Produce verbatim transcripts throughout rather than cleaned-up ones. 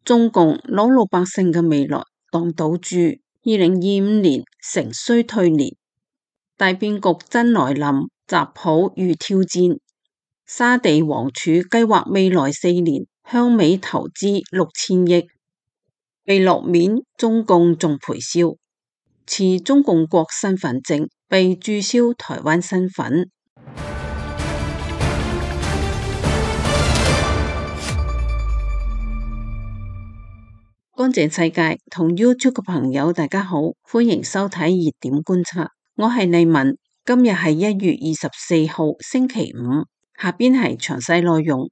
中共攞老百姓嘅未來當賭注，二零二五年成衰退年，大變局真來臨，習普遇挑戰。沙地王儲計劃未來四年向美投資六千億，被落面，中共仲賠笑，持中共國身份證被註銷台灣身份。乾淨世界同 YouTube 嘅朋友大家好，歡迎收睇熱點觀察，我係麗文，今日係一月二十四號星期五，下邊係詳細內容。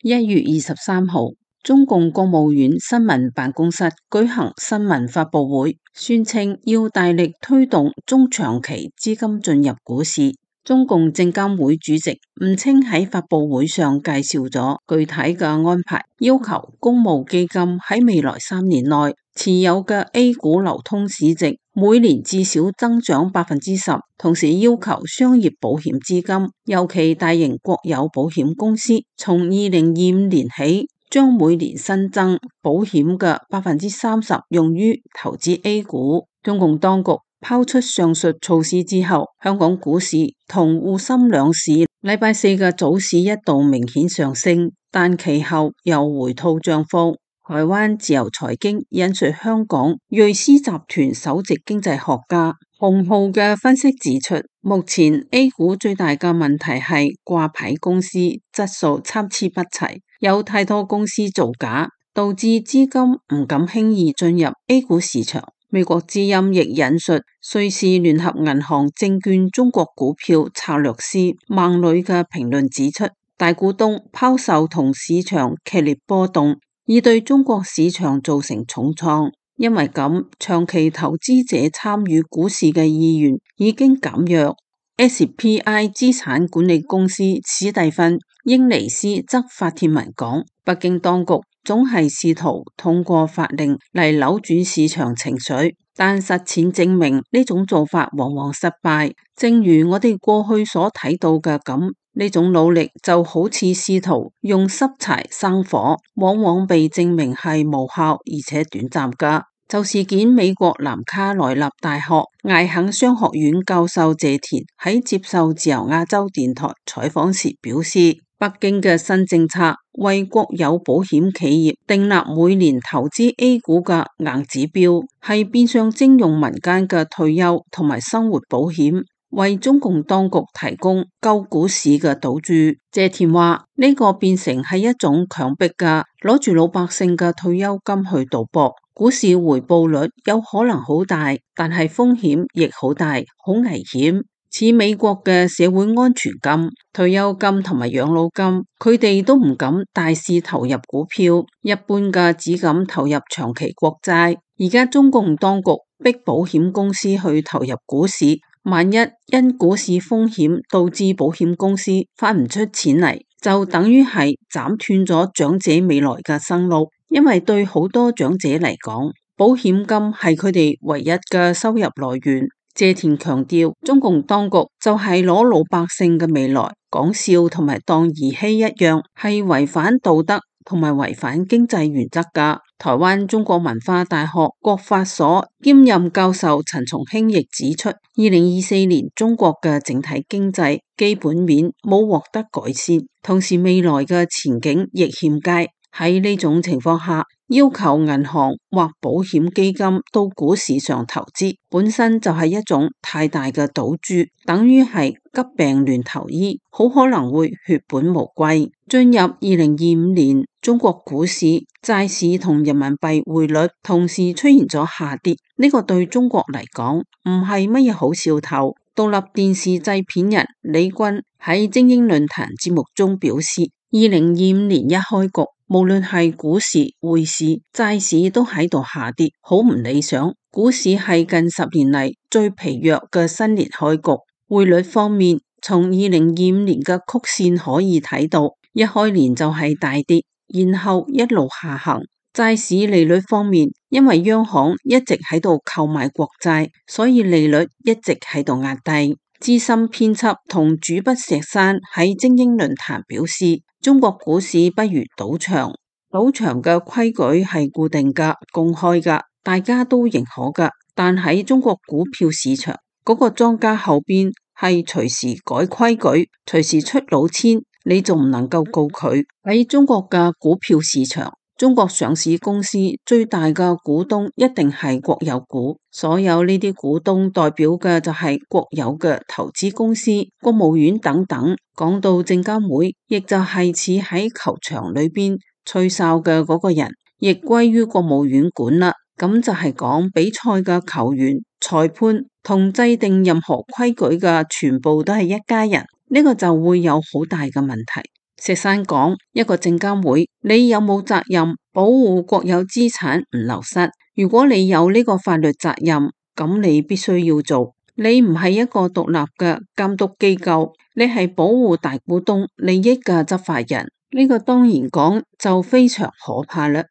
一月二十三號，中共國務院新聞辦公室舉行新聞發佈會，宣稱要大力推動中長期資金進入股市。中共證監會主席吳清喺發佈會上介紹咗具體嘅安排，要求公募基金喺未來三年內持有嘅 A 股流通市值每年至少增長百分之十，同時要求商業保險資金，尤其大型國有保險公司，從二零二五年起將每年新增保險嘅百分之三十用於投資 A 股。中共當局拋出上述措施之後，香港股市同滬深兩市禮拜四嘅早市一度明顯上升，但其後又回吐漲幅。台灣自由財經引述香港瑞思集團首席經濟學家洪浩嘅分析指出，目前 A 股最大嘅問題係掛牌公司質素參差不齊，有太多公司造假，導致資金唔敢輕易進入 A 股市場。美國之音亦引述瑞士聯合銀行證券中國股票策略師孟磊嘅評論指出，大股東拋售同市場劇烈波動，已對中國市場造成重創。因為咁，長期投資者參與股市嘅意願已經減弱。S P I 資產管理公司史蒂芬英尼斯則發帖文講，北京當局總係試圖通過法令嚟扭轉市場情緒，但實踐證明呢種做法往往失敗。正如我哋過去所睇到嘅咁，呢種努力就好似試圖用濕柴生火，往往被證明係無效而且短暫噶。就事件，美國南卡羅來納大學艾肯商學院教授謝田喺接受自由亞洲電台採訪時表示，北京嘅新政策為國有保險企業訂立每年投資 A 股嘅硬指標，係變相徵用民間嘅退休同埋生活保險，為中共當局提供救股市嘅賭注。謝田話呢、這個變成係一種強迫嘅攞住老百姓嘅退休金去賭博，股市回報率有可能好大，但係風險亦好大，好危險。似美國嘅社會安全金、退休金同埋養老金，佢哋都唔敢大肆投入股票，一般嘅只敢投入長期國債。而家中共當局逼保險公司去投入股市，萬一因股市風險導致保險公司翻唔出錢嚟，就等於係斬斷咗長者未來嘅生路。因為對好多長者嚟講，保險金係佢哋唯一嘅收入來源。謝田強調，中共當局就係攞老百姓嘅未來講笑同埋當兒戲一樣，係違反道德同埋違反經濟原則噶。台灣中國文化大學國法所兼任教授陳松興亦指出，二零二四年中國嘅整體經濟基本面冇獲得改善，同時未來嘅前景亦欠佳。喺呢種情況下，要求銀行或保險基金到股市上投資，本身就係一種太大嘅賭注，等於係急病亂投醫，好可能會血本無歸。進入二零二五年，中國股市、債市同人民幣匯率同時出現咗下跌，呢、這個對中國嚟講唔係乜嘢好兆頭。獨立電視製片人李軍喺精英論壇節目中表示，二零二五年一開局，無論係股市、匯市、債市都喺度下跌，好唔理想。股市係近十年嚟最疲弱嘅新年開局。匯率方面，從二零二五年嘅曲線可以睇到，一開年就係大跌，然後一路下行。債市利率方面，因為央行一直喺度購買國債，所以利率一直喺度壓低。資深編輯同主筆石山喺精英論壇表示，中國股市不如賭場，賭場嘅規矩係固定噶、公開噶，大家都認可噶。但喺中國股票市場，嗰個莊家後邊係隨時改規矩，隨時出老千，你仲唔能夠告佢。喺中國嘅股票市場，中國上市公司最大嘅股東一定係國有股，所有呢啲股東代表嘅就係國有嘅投資公司、國務院等等。講到證監會，亦就係似喺球場裏邊吹哨嘅嗰個人，亦歸於國務院管啦。咁就係講比賽嘅球員、裁判同制定任何規矩嘅全部都係一家人，呢個就會有好大嘅問題。石山講，一個證監會，你有冇責任保護國有資產唔流失？如果你有呢個法律責任，咁你必須要做。你唔係一個獨立嘅監督機構，你係保護大股東利益嘅執法人，呢個當然講就非常可怕啦。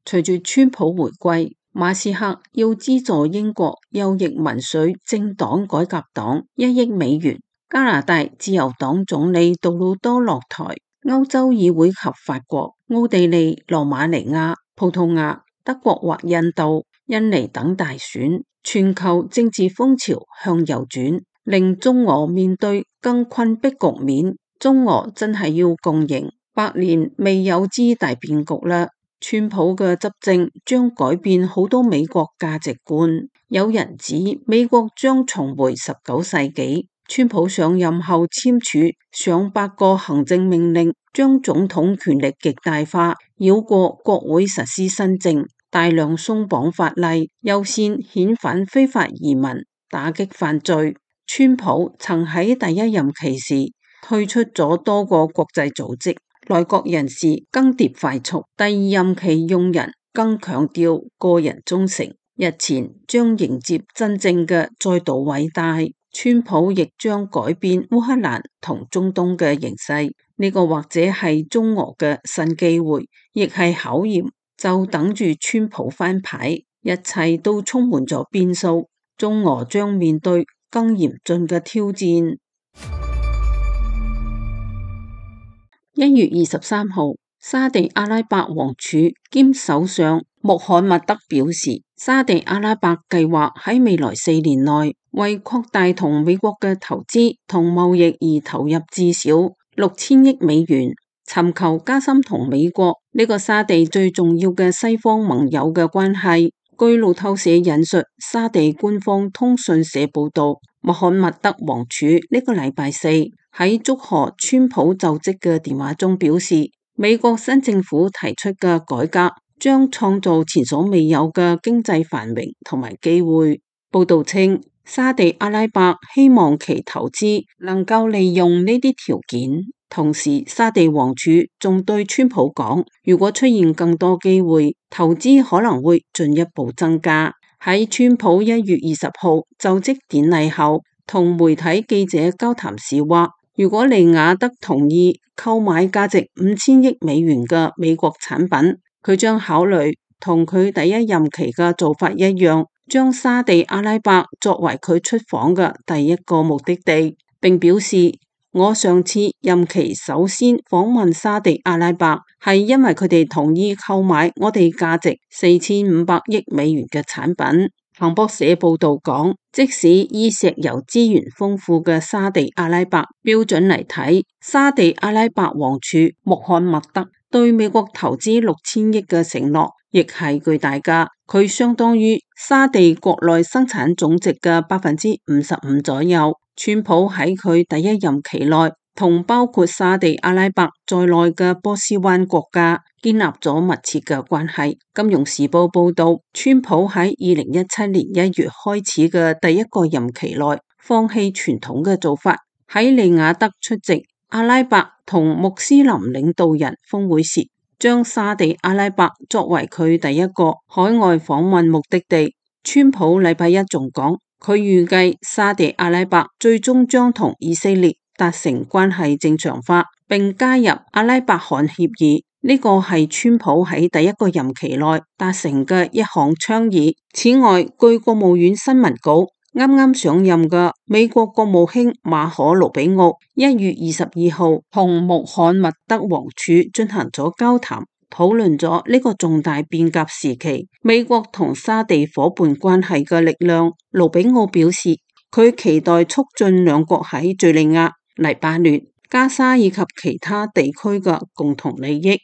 隨住川普回歸，馬斯克要資助英國右翼民粹政黨改革黨一億美元。加拿大自由黨總理杜魯多落台，歐洲議會及法國、奧地利、羅馬尼亞、葡萄牙、德國或印度、印尼等大選，全球政治風潮向右轉，令中俄面對更困迫局面。中俄真係要共贏，百年未有之大變局啦。川普嘅執政將改變好多美國價值觀，有人指美國將重回十九世紀。川普上任後簽署上百個行政命令，將總統權力極大化，繞過國會實施新政，大量鬆綁法例，優先遣返非法移民，打擊犯罪。川普曾喺第一任期時退出咗多個國際組織，內閣人事更迭快速，第二任期用人更強調個人忠誠。日前將迎接真正嘅再度偉大。川普亦將改變烏克蘭同中東嘅形勢，呢個或者係中俄嘅新機會，亦係考驗，就等住川普翻牌，一切都充滿咗變數，中俄將面對更嚴峻嘅挑戰。一月二十三號，沙地阿拉伯王儲兼首相穆罕默德表示，沙地阿拉伯計劃喺未來四年內為擴大同美國嘅投資同貿易而投入至少六千億美元，尋求加深同美國呢個沙地最重要嘅西方盟友嘅關係。據路透社引述沙地官方通訊社報道，穆罕默德王儲呢個禮拜四喺祝賀川普就職嘅電話中表示，美國新政府提出嘅改革將創造前所未有嘅經濟繁榮同埋機會。報道稱，沙地阿拉伯希望其投資能夠利用呢啲條件。同時，沙地王儲仲對川普講，如果出現更多機會，投資可能會進一步增加。喺川普一月二十號就職典禮後，同媒體記者交談時話，如果利雅得同意購買價值五千億美元嘅美國產品，佢將考慮同佢第一任期嘅做法一樣，將沙地阿拉伯作為佢出訪嘅第一個目的地，並表示，我上次任期首先訪問沙地阿拉伯，係因為佢哋同意購買我哋價值四千五百億美元嘅產品。彭博社報道講，即使以石油資源豐富嘅沙地阿拉伯標準嚟睇，沙地阿拉伯王儲穆罕默德對美國投資六千億嘅承諾，亦係巨大㗎，佢相當於沙地國內生產總值嘅百分之五十五左右。川普喺佢第一任期內，同包括沙地阿拉伯在內嘅波斯灣國家建立咗密切嘅關係。金融時報報道，川普喺二零一七年一月開始嘅第一個任期內，放棄傳統嘅做法，喺利雅得出席阿拉伯同穆斯林領導人峰會時，將沙地阿拉伯作為佢第一個海外訪問目的地。川普禮拜一仲講，佢預計沙地阿拉伯最終將同以色列達成關係正常化，並加入阿拉伯罕協議。呢個係川普喺第一個任期內達成嘅一項倡議。此外，據國務院新聞稿，啱啱上任嘅美國國務卿馬可魯比奧一月二十二號同穆罕默德王儲進行咗交談，討論咗呢個重大變革時期美國同沙地夥伴關係嘅力量。魯比奧表示，佢期待促進兩國喺敘利亞、黎巴嫩、加沙以及其他地區嘅共同利益。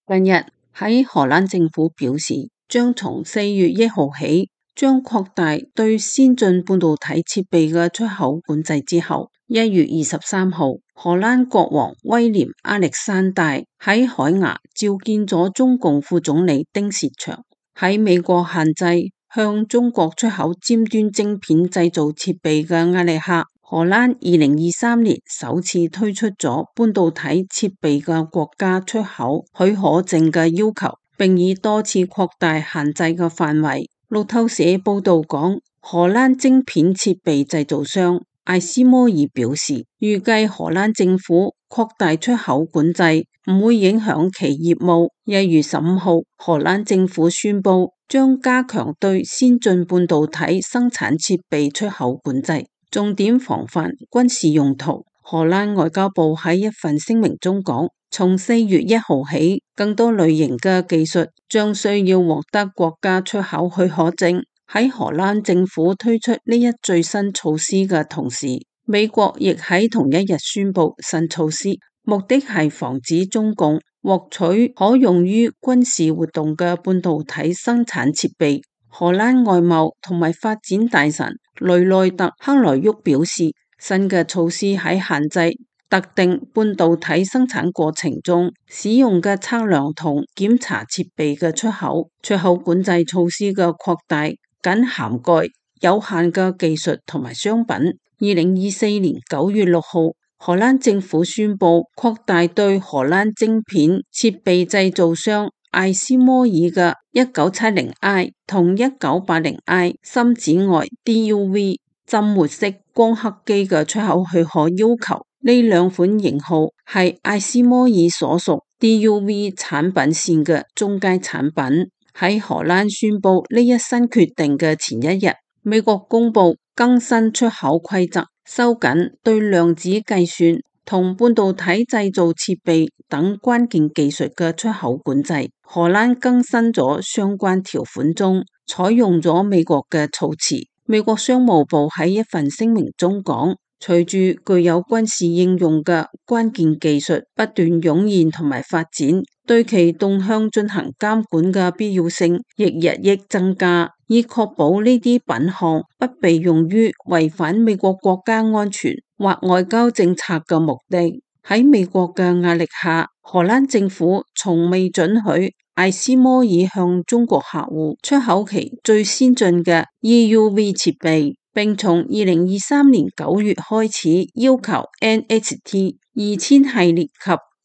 近日喺荷蘭政府表示，將從四月一號起將擴大對先進半導體設備嘅出口管制之後，一月二十三號，荷蘭國王威廉亞歷山大喺海牙召見咗中共副總理丁薛祥。喺美國限制向中國出口尖端晶片製造設備嘅壓力下，荷蘭二零二三年首次推出咗半導體設備嘅國家出口許可證嘅要求，並以多次擴大限制嘅範圍。路透社報道講，荷蘭晶片設備製造商艾斯摩爾表示，預計荷蘭政府擴大出口管制唔會影響其業務。一月十五號，荷蘭政府宣布將加強對先進半導體生產設備出口管制，重點防範軍事用途。荷蘭外交部喺一份聲明中講，從四月一號起，更多類型嘅技術將需要獲得國家出口許可證。喺荷蘭政府推出呢一最新措施嘅同時，美國亦喺同一日宣布新措施，目的係防止中共獲取可用於軍事活動嘅半導體生產設備。荷蘭外貿同埋發展大臣雷內特克萊沃表示，新嘅措施喺限制特定半導體生產過程中使用嘅測量同檢查設備嘅出口。出口管制措施嘅擴大僅涵蓋有限嘅技術同埋商品。二零二四年九月六號，荷蘭政府宣布擴大對荷蘭晶片設備製造商艾斯摩爾嘅一九七零 I 同一九八零 I 深紫外 D U V 浸沒式光刻機嘅出口許可要求。呢兩款型號係艾斯摩爾所屬 D U V 產品線嘅中階產品。喺荷蘭宣布呢一新決定嘅前一日，美國公布更新出口規則，收緊對量子計算同半導體製造設備等關鍵技術嘅出口管制。荷蘭更新咗相關條款中採用咗美國嘅措辭。美國商務部喺一份聲明中講，隨住具有軍事應用嘅關鍵技術不斷湧現同埋發展，對其動向進行監管嘅必要性亦日益增加，以確保呢啲品項不被用於違反美國國家安全或外交政策嘅目的。喺美國嘅壓力下，荷蘭政府從未准許艾斯摩爾向中國客戶出口其最先進嘅 E U V 設備，並從二零二三年九月開始要求 N X T 二千系列及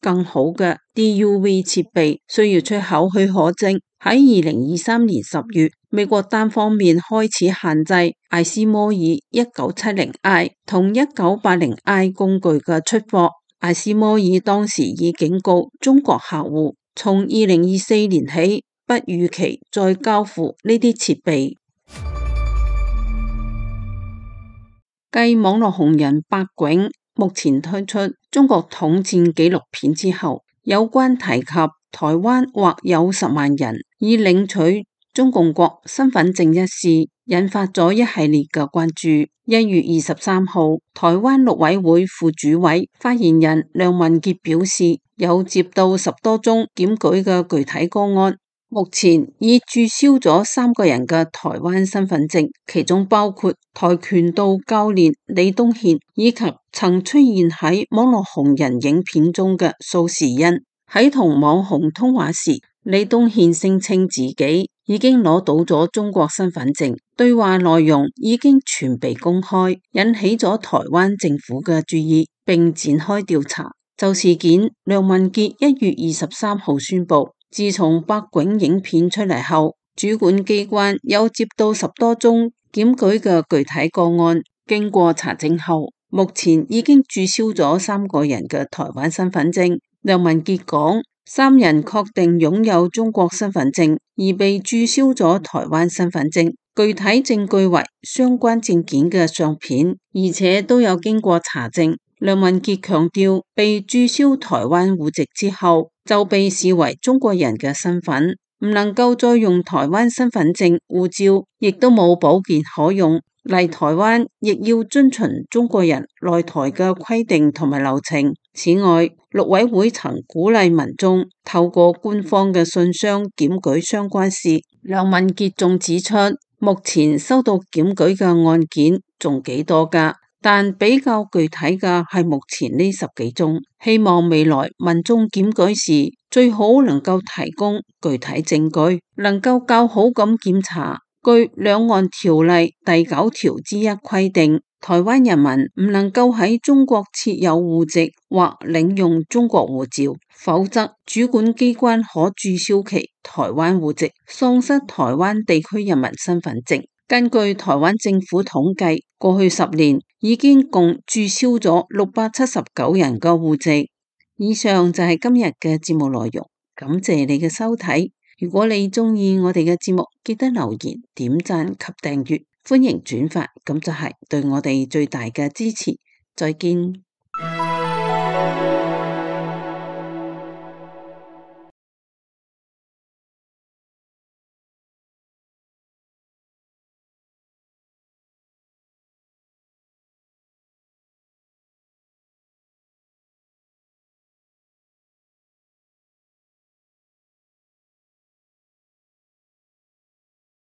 更好嘅 D U V 設備需要出口許可證。喺二零二三年十月，美國單方面開始限制艾斯摩爾一九七零 I 同一九八零 I 工具嘅出貨。艾斯摩爾當時已警告中國客戶，從二零二四年起不預期再交付呢啲設備。繼網絡紅人白囧目前推出中國統戰紀錄片之後，有關提及台灣或有十萬人已領取中共國身份證一事，引發咗一系列嘅關注。一月二十三號，台灣陸委會副主委發言人梁文傑表示，有接到十多宗檢舉嘅具體個案，目前已註銷咗三個人嘅台灣身份證，其中包括跆拳道教練李東憲以及曾出現喺網絡紅人影片中嘅蘇時恩。喺同網紅通話時，李東憲聲稱自己已經攞到咗中國身份證，對話內容已經全被公開，引起咗台灣政府嘅注意，並展開調查。就事件，梁文傑一月二十三號宣布，自從白囧影片出嚟後，主管機關有接到十多宗檢舉嘅具體個案，經過查證後，目前已經註銷咗三個人嘅台灣身份證。梁文傑講，三人確定擁有中國身份證，而被註銷咗台灣身份證。具體證據為相關證件嘅相片，而且都有經過查證。梁文傑強調，被註銷台灣戶籍之後，就被視為中國人嘅身份，唔能夠再用台灣身份證、護照，亦都冇保健可用。嚟台灣亦要遵循中國人來台嘅規定同埋流程。此外，陸委會曾鼓勵民眾透過官方嘅信箱檢舉相關事。梁文傑仲指出，目前收到檢舉嘅案件仲幾多噶，但比較具體嘅係目前呢十幾宗。希望未來民眾檢舉時最好能夠提供具體證據，能夠較好咁檢查。據兩岸條例第九條之一規定，台灣人民唔能夠喺中國設有戶籍或領用中國護照，否則主管機關可註銷其台灣戶籍，喪失台灣地區人民身份證。根據台灣政府統計，過去十年已經共註銷咗六百七十九人嘅戶籍。以上就係今日嘅節目內容，感謝你嘅收睇。如果你鍾意我哋嘅節目，記得留言、點讚及訂閱，歡迎轉發，咁就係對我哋最大嘅支持。再見。